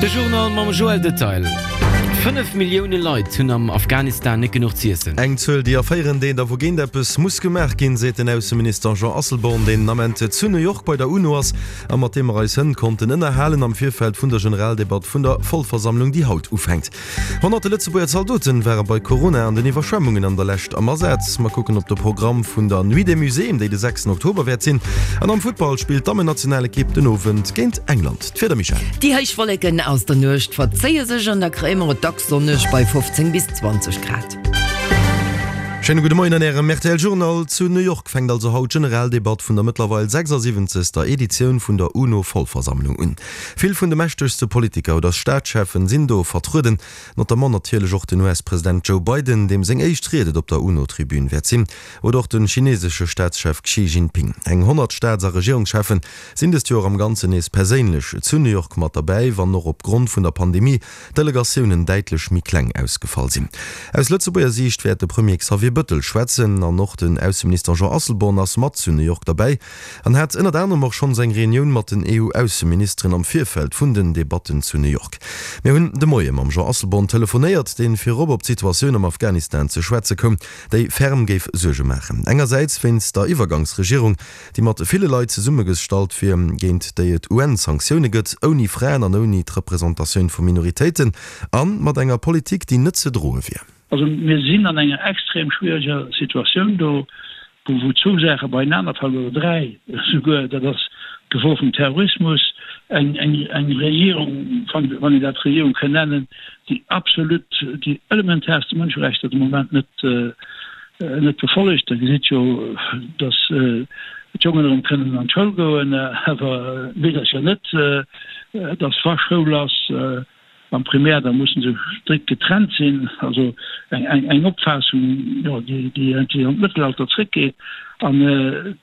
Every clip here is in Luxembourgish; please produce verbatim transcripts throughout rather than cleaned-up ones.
De Journal mam Joël Detail. Fënnef Millioune Leit hunn am Afghanistan net genuch z'iessen. Eng Zuel, déi erféieren deet a wougéint eppes muss gemaach ginn, seet den Ausseminister Jean Asselborn, deen den Ament zu New York bei der UNO ass a mat deem mer eis hënt konnten ënnerhalen am Virfeld vun der Generaldebatt vun der Vollversammlung, déi haut ufänkt. Honnerte Lëtzebuerger Zaldoten ware bei Corona an den Iwwerschwemmungen an der Lescht am Asaz. Mer kucken op de Programm vun der Nuit des Musées, déi de sechsten Oktober wäert sinn. An am Futtball spillt d'Dammennationalekipp den Owend géint England. D'Wieder, Michèle? Déi héich Wolleken aus der Nuecht verzéie sech an da kréie mer et dacks sonneg bei fofzéng bis zwanzeg Grad. Schéine gudde Moien an Ärem R T L Journal. Zu New York fänkt also haut d'Generaldebatt vun der mëttlerweil sechsasiwwenzegster Editioun vun der UNO-Vollversammlung un. Vill vun de mächtegste Politiker oder Staatscheffen sinn do vertrueden, notamment natierlech och den U S-President Joe Biden, deem seng éischt Ried et op der UNO-Tribün wäert sinn, oder och de chinesesche Staatschef Xi Jinping. Eng honnert Staats a Regierungscheffen sinn dëst Joer am Ganzen nees perséinlech zu New York mat derbäi, wann och op Grond vun der Pandemie d'Delegatiounen däitlech méi kleng ausgefall sinn. Aus Lëtzebuerger Siicht wäert de Premier Xavier Bëttel schwätzen an och den Ausseminister Jean Asselborn ass mat zu New York derbäi an hat ënnert anerem och schonns eng Reunioun mat den E U-Ausseministeren am Virfeld vun den Debatten zu New York. Mir hunn de Moie mam Jean Asselborn telefonéiert, dee virop op d'Situatioun am Afghanistan ze schwätze koum, déi ferm géif Suerge maachen. Engersäits wéinst der Iwwergangsregierung, déi mat ville Leit zesummegestallt wier, géint déi et U N-Sanktioune gëtt, ouni Fraen an ouni d'Representatioun vu Minoritéiten a mat enger Politik, déi net ze droe wier. Also mir sinn an enger extrem schwieriger Situatioun do, wou zwou Saache beieinaner fallen, oder dräi souguer. Dat ass d'Gefor vum Terrorismus, eng, eng, eng Regierung, wann een dat Regierung kann nennen, déi absolut déi elementarste Mënscherechter de Moment net, net befollegt. Da gesitt jo, dass d'Jongen erëm kënnen an d'Schoul goen, awer d'Meedercher net, dass wa Schoul ass, am Primär, da mussen se strikt getrennt sinn, also eng, eng, eng Opfaassung, jo, déi, déi irgendwie an d'Mëttelalter zréckgeet. An, äh,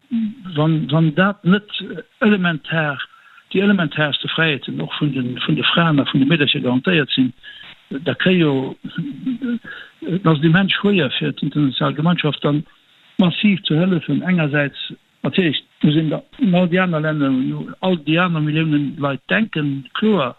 wann, wann dat net elementar, déi elementarste Fräiheeten och vun den, vun de Fraen a vun de Meedercher garantéiert sinn, da kréie jo, et ass immens schwéier fir d'international Gemeinschaft dann massiv ze hëllefen. Engersäits natierlech muss een da un all déi aner Länner, un all déi aner Milliounen Leit denken, kloer,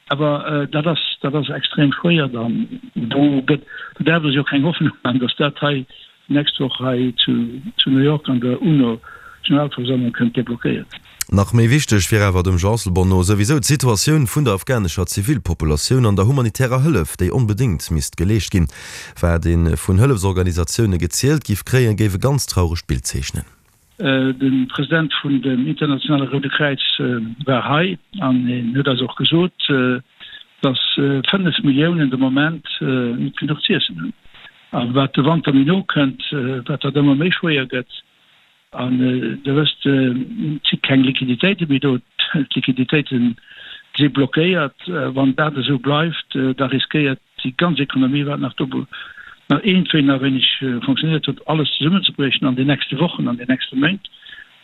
awer, äh, dat ass, dat ass extrem schwéier dann. Do gëtt, do darf es jo keng Hoffnung machen, dass dat hei nächst Woch hei zu, zu New York an der UNO-Generalversammlung kënnt deblockéiert. Nach méi wichteg wier awer dem Jean Asselborn no souwisou d'Situatioun vun der afghanescher Zivilpopulatioun an der humanitärer Hëllef, déi onbedéngt misst geleescht ginn. Wat ee vun Hëllefsorganisatioune gezielt giff kréien, géif e ganz trauregt Bild zeechnen. De President vun dem Internationale Roude Kräiz war hei an hien huet eis och gesot, dass fënnef Milliounen de Moment net genuch z'iessen hunn. A wat de Wanter méi no kënnt, wat dat ëmmer méi schwéier gëtt. An Dir wësst, et si keng Liquiditéite méi do, d'Liquiditéite si blockéiert. Wann dat esou bleift, da riskéiert déi ganz Ekonomie, wat nach do nach iergendwéi nach wéineg fonctionnéiert huet, alles zesummenzebriechen an den nächste Wochen, an den nächste Méint,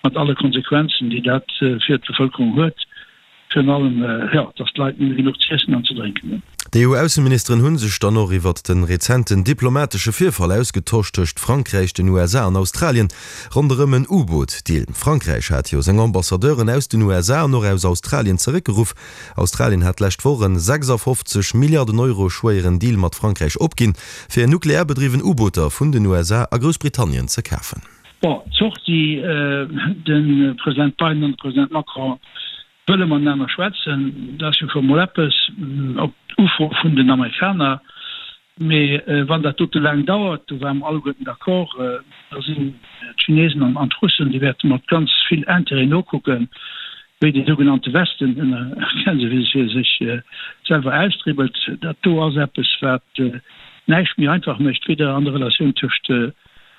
mat alle Konsequenzen, déi dat fir d'Bevëlkerung huet, virun allem, jo, dass d'Leit net méi genuch z'iessen an ze drénken hunn. D'E U-Ausseministeren hu sech dann och iwwert de rezenten diplomatesche Virfall ausgetosch tëscht Frankräich, den U S A an Australien ronderëm en U-Boot-Deal. Frankräich hat jo seng Ambassadeuren aus den U S A an och aus Australien zeréckgeruff. Australien hat d'lescht Woch en sechsafofzeg Milliarden Euro schwéieren Deal mat Frankräich opginn, fir nuklearbedriwwen U-Booter vun den U S A a Groussbritannien ze kafen. Bon, d'Sortie, de President Biden an de President Macron wëlle miteinander schwätzen, dat ass jo scho mol eppes op d'Ufro vun den Amerikaner. Mee wann dat dote laang dauert, do waren wir alleguerten d'accord, da sinn d'Chinesen an, an d'Russen, déi wäerte mat ganz vill Intérêt nokucken, wéi de sougenannte Westen ënner Gänsefüßchen sech selwer austribbelt. Dat do ass eppes, wat näischt méi einfach mécht, weder an der Relatioun tëscht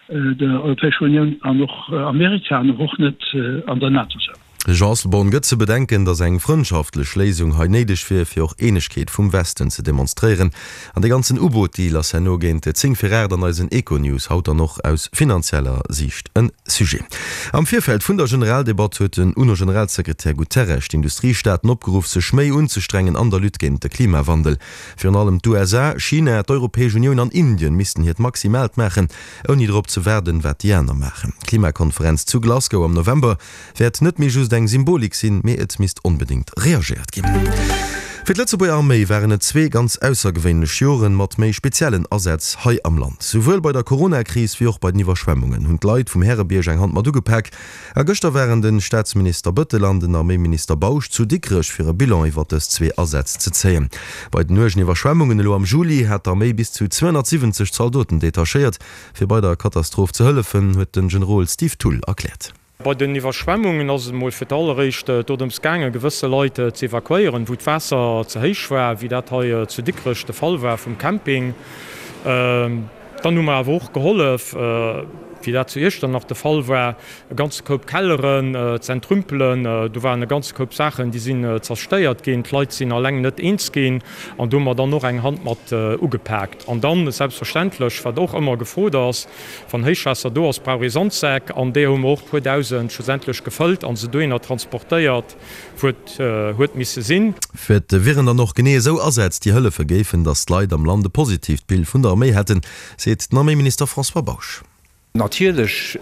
der Europäescher Unioun an och Amerika an och net an der NATO selwer. Jean Asselborn gëtt ze bedenken, datt eng frëndschaftlech Léisung hei néideg wier, fir och Eenegkeet vum Westen ze demonstréieren. An de ganzen U-Boot-Deal ass herno géint zéng vir aacht an eisen Econews haut dann och aus finanzieller Siicht en Sujet. Am Virfeld vun der Generaldebatt huet den U N O-Generalsekretär Guterres d'Industriestaaten opgeruff, sech méi unzestrengen an der Lutte géint de Klimawandel. Virun allem d'U S A, China, d'Europäesch Unioun an Indien missten hiert Maximaalt maachen, ouni drop ze waarden, wat déi aner maachen. D'Klimakonferenz zu Glasgow am November wäert net méi just eng Symbolik sinn, mee et misst onbedéngt reagéiert ginn. Fir d'Lëtzebuerger Arméi waren et zwee ganz aussergewéinlech Joren mat méi speziellen Asätz hei am Land. Souwuel bei der Corona-Kris wéi och bei den Iwwerschwemmungen hunn d'Leit vum Härebierg eng Hand mat ugepak. A gëschter waren de Staatsminister Bëttel an den Arméiminister Bausch zu Dikrech fir e Bilan iwwer dës zwee Asätz ze zéien. Bei den uergen Iwwerschwemmungen elo am Juli hat d'Arméi bis zu zweehonnertsiwwenzeg Zaldoten detachéiert, fir bei der Katastroph ze hëllefen, huet den Generol Steve Thull erkläert. Bei den Iwwerschwemmungen ass et emol fir d'alleréischt dorëms gaangen, gewësse Leit ze evakuéieren, wou d'Waasser ze héich war, wéi dat hei zu Dikrech de Fall war vum Camping. Dann hu mer awer och gehollef, wéi dat zu Iechternach de Fall war, e ganze Koup Kelleren ze entrümpelen. Do waren e ganze Koup Saachen, déi sinn zerstéiert ginn. D'Leit sinn alleng net eens ginn an do hu mer dann och eng Hand mat ugepaakt. An dann selbstverständlech, wat och ëmmer gefrot ass, Wann Héichwaasser do ass, brauch ee Sandsäck, an deeër hu mer och puer dausend schlussendlech gefëllt an se dohinner transportéiert, wou et huet misse sinn. Et wieren dann och genee esou Asätz, déi hëllefe géifen, datt d'Leit am Land e positiivt Bild vun der Arméi hätten, seet den Arméiminister François Bausch. Natierlech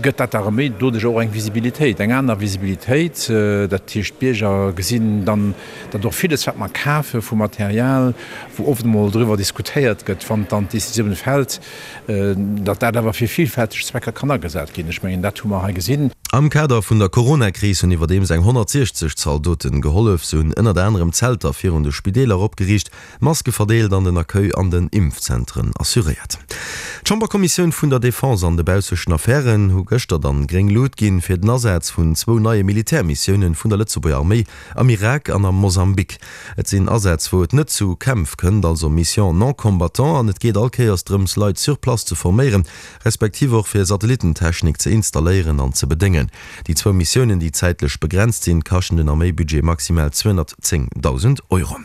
gëtt dat der Arméi doduerch och eng Visibilitéit, eng aner Visibilitéit. Dat heescht, d'Bierger gesinn dann, datt och villes, wat mer kafe vu Material, wou oft emol driwwer diskutéiert gëtt, wann dann d'Décisioun fält, datt dat awer fir villfälteg Zwecker kann agesat ginn. Ech mengen, dat hu mer hei gesinn. Am Kader vun der Coronakris hunn iwwerdeems eng honnertsiechzeg Zaldoten gehollef. Se hunn ënnert anerem Zelter virun de Spideeler opgeriicht, Maske verdeelt an den Accueil an den Impfzentren assuréiert. D'Chamberkommissioun vun der Defense an de baussechten Affären hu gëschter dann gréng Lut ginn fir den Asaz vun zwou neie Militärmissiounen vun der Lëtzebuerger Arméi am Irak an am Mosambik. Et sinn Asätz wou et net zu Kämpf kënnt, also Missions non combattant, an et geet all Kéiers drëms Leit sur place ze forméieren, respektiv och fir Satellitentechnik ze installéieren an ze bedéngen. Déi zwou Missiounen, déi zäitlech begrenzt sinn, kaschten den Arméibudget maximal zweehonnertzéngdausend Euro.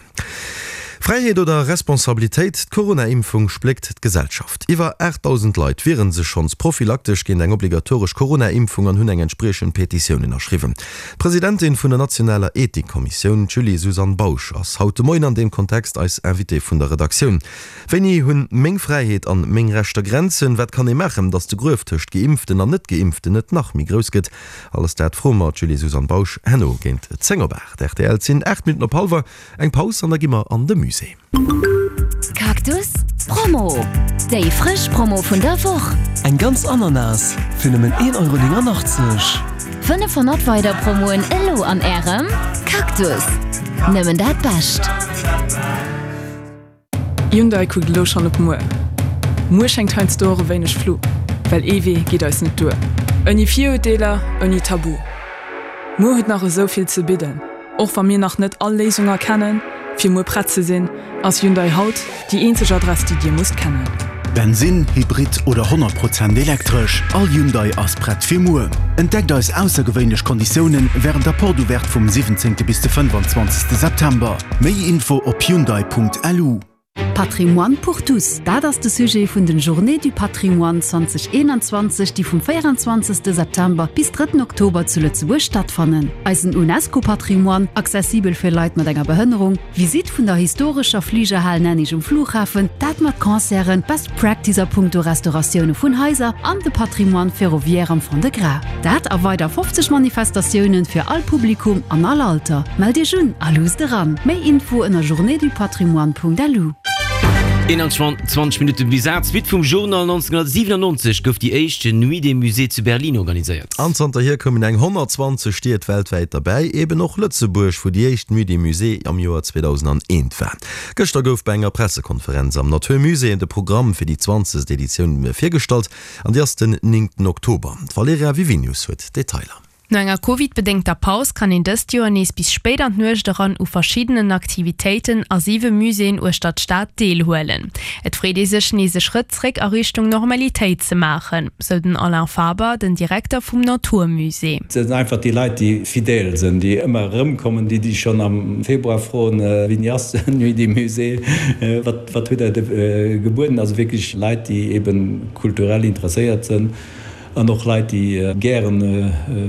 Fräiheet oder Responsabilitéit, D'Corona-Impfung spléckt d'Gesellschaft. Iwwer aachtdausend Leit wiere sech schonns prophylaktesch géint eng obligatoresch Corona-Impfung an hunn eng entspriechend Petitioun ënnerschriwwen. D'Presidentin vun der nationaler Ethikkommissioun, d'Julie-Suzanne Bausch, ass haut de Moien an deem Kontext eis Invitée vun der Redaktioun. Wéini hunn meng Fräiheet an meng Rechter Grenzen? Wat kann ee maachen, datt de Gruef tëscht Geimpften an Net-Geimpften net nach méi grouss gëtt? Alles dat froe mer d'Julie-Suzanne Bausch herno géint zéng op aacht. Rtl, Et sinn aacht Minutten op hallwer. Eng Paus an da gi mer an de Musée. Cactus Promo, Déi frësch Promo vun der Woch! Eng ganz Ananas fir nëmmen een Euro néngannachtzeg. fënnefhonnert weider Promoen elo an Ärem Cactus! Nëmmen dat Bescht! Hyundai kuckt elo schonn op muer. Muer schéngt heiansdo och e wéineg flou, well ee Wee geet eis net duer. Ouni Virurteeler, ouni Tabu. Muer huet nach esou vill ze bidden. Och wa mir nach net all Léisung erkennen, fir muer prett ze sinn, ass Hyundai haut déi eenzeg Adress, déi Dir musst kennen. Bensinn, Hybrid oder honnert Prozent elektresch, all Hyundai ass prett fir muer. Entdeckt eis aussergewéinlech Konditiounen wärend der Porte Ouverte vum siwwenzéngte bis de fënnefanzwanzegste September. Méi Info op hyundai.lu. Patrimoine pour tous, dat ass de Sujet vun den Journées du Patrimoine zwanzeg eenanzwanzeg, déi vum véieranzwanzegste September bis drëtten Oktober zu Lëtzebuerg stattfannen. Eisen UNESCO-Patrimoine, accessibel fir Leit mat enger Behënnerung, Visitt vun der historescher Fligerhal Nennig um Flughafen, dat mat Concerten, Best Practice a punkto Restauratioune vun Haiser an de Patrimoine ferroviaire am Fond-de-Gras. Dat a weider fofzeg Manifestatiounen fir all Publikum an all Alter. Mellt Iech un a luusst eran! Méi Info ënner journéesdupatrimoine.lu. eenanzwanzeg Minutten bis aacht. Suite vum Journal, nonzénhunnertsiwenannonzeg gouf déi éischt Nuit des Musées zu Berlin organiséiert. An zanterhier koumen eng honnertzwanzeg Stied weltwäit derbäi, eben och Lëtzebuerg, wou déi éischt Nuit des Musées am Joer zweedausendaneent war. Gëschter gouf bei enger Pressekonferenz am Natur Musée de Programm fir déi zwanzegst Editioun virgestallt an déi ass den néngten Oktober. D'Valerija Wiwinius huet d'Detailer. No enger Covid-bedéngter Paus kann een dëst Joer nees bis spéit an d'Nuecht eran u verschiddenen Aktivitéiten a siwe Muséeën uechter d'Stad deelhuelen. Et freet ee sech, nees e Schrëtt zréck a Richtung Normalitéit ze maachen, sou den Alain Faber, den Direkter vum Natur Musée. Et sinn einfach déi Leit, déi fidèle sinn, déi ëmmer erëmkommen, déi déi schonn am Februar froen, Wéini ass d'Nuit des Musées, wat wat hutt Der gebueden? Also wierklech Leit, déi eben kulturell interesséiert sinn. An och Leit, déi gären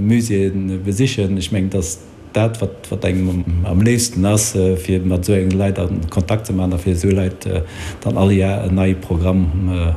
Muséeë besichen. Ech mengen, et ass dat, wat wat engem am léifsten ass, fir mat esou enge Leit a Kontakt ze maachen a fir esou Leit dann all Jar en neie Programm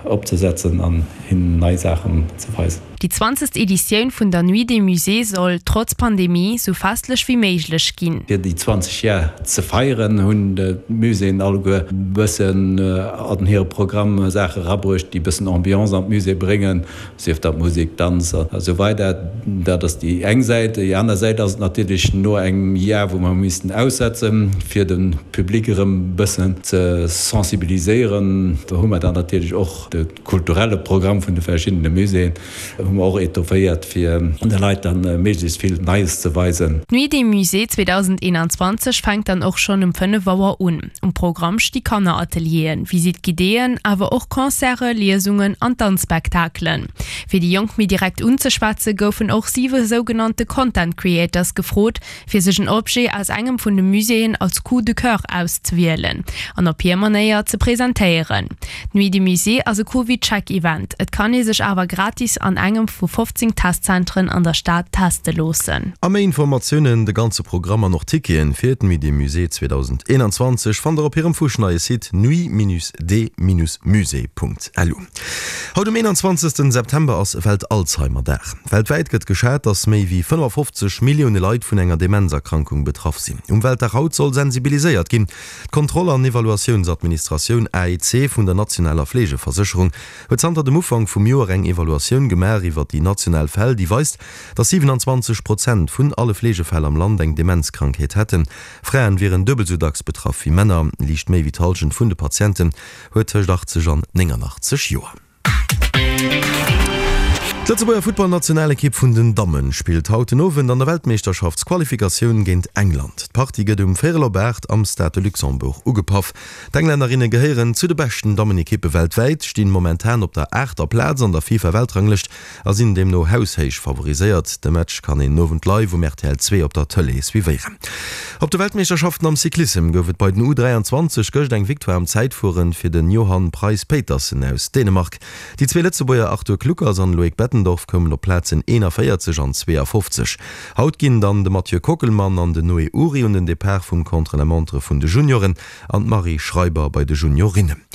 opzesetzen an hinnen nei Saachen ze weisen. Déi zwanzegst Editioun vun der Nuit des Musées soll, trotz Pandemie, sou festlech wéi méiglech ginn. Fir déi zwanzeg Jar ze feieren, hunn d'Muséeën alleguer e bëssen an hire Programm Saache erabruecht, déi e bëssen Ambiance an d'Musée bréngen, sief dat Musek, Danz a sou weider. Dat ass déi eng Säit. Déi aner Säit ass et natierlech, no engem Jar, wou mer hu missten aussetzen, fir de Public erëm e bëssen ze sensibiliséieren, do hu mer dann natierlech och de kulturelle Programm vun de verschiddene Muséeën hu mer och etofféiert, fir de Leit dann méiglechst vill Neies ze weisen. D'Nuit des Musées zweedausendeenanzwanzeg fänkt dann och schonn um fënnef Auer un. Um Programm sti Kanneratelieren, Visite guidéeën, awer och Concerte, Liesungen an Danzspektakelen. Fir déi Jonk méi direkt unzeschwätze goufen och siwe sougenannte Content Creators gefrot, fir sech en Objet aus engem vun de Muséeën als Coup de coeur auszewielen an op hir Manéier ze presentéieren. D'Nuit des Musées ass e CovidCheck-Event, et kann ee sech awer gratis an engem vu fofzéng Testzentren an der Stad teste loossen. A méi Informatiounen, de ganze Programm an och Ticketen fir d'Nuit des Musées zweedausendeenanzwanzeg fannt der op hirem fuschneie Site nuit-des-musées.lu. Haut um eenanzwanzegsten September ass Welt-Alzheimer-Dag. Weltwäit gëtt geschat, dass méi wéi fënnefafofzeg Millioune Leit vun enger Demenzerkrankung betraff sinn. Um Weltdag haut soll sensibiliséiert ginn. D'Kontroll an Evaluatiounsadministratioun, A E C, vun der nationaler Fleegeversécherung huet zanter dem Ufank vum Joer eng Evaluatioun gemaach iwwer déi national Fäll, déi weist, dass siewenanzwanzeg Prozent vun alle Fleegefäll am Land eng Demenzkrankheet hätten. Fraen wieren duebel sou dacks betraff wéi Männer. Liicht méi wéi d'Hallschent vun de Patienten huet tëscht achtzeg an néngannachtzeg Joer. D'Lëtzebuerger Futtballnationalekipp vun den Dammen spillt haut den Owend an der Weltmeeschterschaftsqualifikatioun géint England. D'Partie gëtt um véierel op aacht am Stade de Luxembourg ugepaff. D'Englännerinne gehéieren zu de beschten Dammenekippe weltwäit, stinn momentan op der aachter Plaz an der FIFA-Weltranglëscht a sinn deemno haushéich favoriséiert. De Match kann een den Owend live um R T L zwee op der Tëlee suivéieren. Op de Weltmeeschterschaften am Cyclissem gouf et bei den U dräianzwanzeg gëscht eng Victoire am Zäitfueren fir den Johan Price-Pejtersen aus Dänemark. Déi zwee Lëtzebuerger Arthur Kluckers an Loïc Bettendorf koumen op d'Plazen eenanvéierzeg an zweeafofzeg. Haut ginn dann de Mathieu Kockelmann an den Noé Ury un den Depart vum Contre-la-montre vun de Junioren an d'Marie Schreiber bei de Juniorinnen.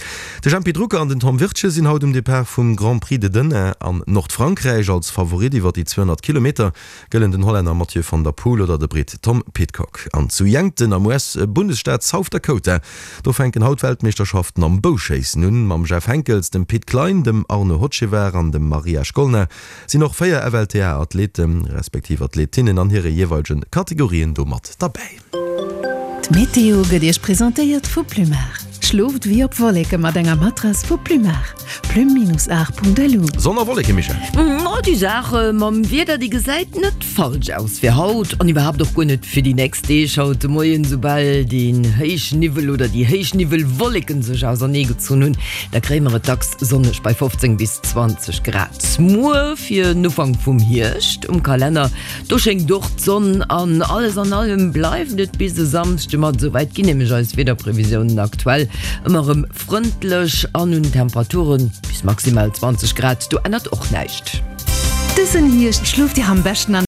De Jempy Drucker an den Tom Wirtgen sinn haut um Depart vum Grand Prix de Denain an Nordfrankräich. Als Favorit iwwer déi zweehonnert Kilometer gëllen den Hollänner Mathieu van der Poel oder de Britt Tom Pidcock. An zu Yankton am U S-Bundesstaat South Dakota, do fänken haut d'Weltmeeschterschaften am Bouschéissen un. Mam Jeff Henckels, dem Pit Klein, dem Arnaud Hochevar an dem Maria Shkolna sinn och véier F L T A-Athleten, respektiv Athletinnen an hire jeeweilege Kategorien do mat derbäi. D'Meteo gëtt Iech presentéiert vu Plumar. Schlooft wéi op Wolleke mat enger Matrass vu Plumar. Plum-art.lu. Sonn a Wolleke, Michèle? Ma déi Saach mam Wieder, déi gesäit net falsch aus fir haut an iwwerhaapt och guer net fir déi nächst Deeg. Haut de Moien, soubal deen Héichniwwel oder déi Héichniwwelwolleken sech auserneegezunn hunn, da kréie mer et dacks sonneg bei fofzéng bis zwanzeg Grad. Muer fir den Ufank vum Hierscht um Kalenner, do schéngt och d'Sonn an alles an allem bleift et bis e Samschde mat, esouwäit ginn nämlech eis Wiederprevisiounen aktuell, ëmmer erëm frëndlech an un Temperaturen bis maximal zwanzeg Grad, do ännert och näischt. Dësen Hierscht schlooft Dir am beschten an.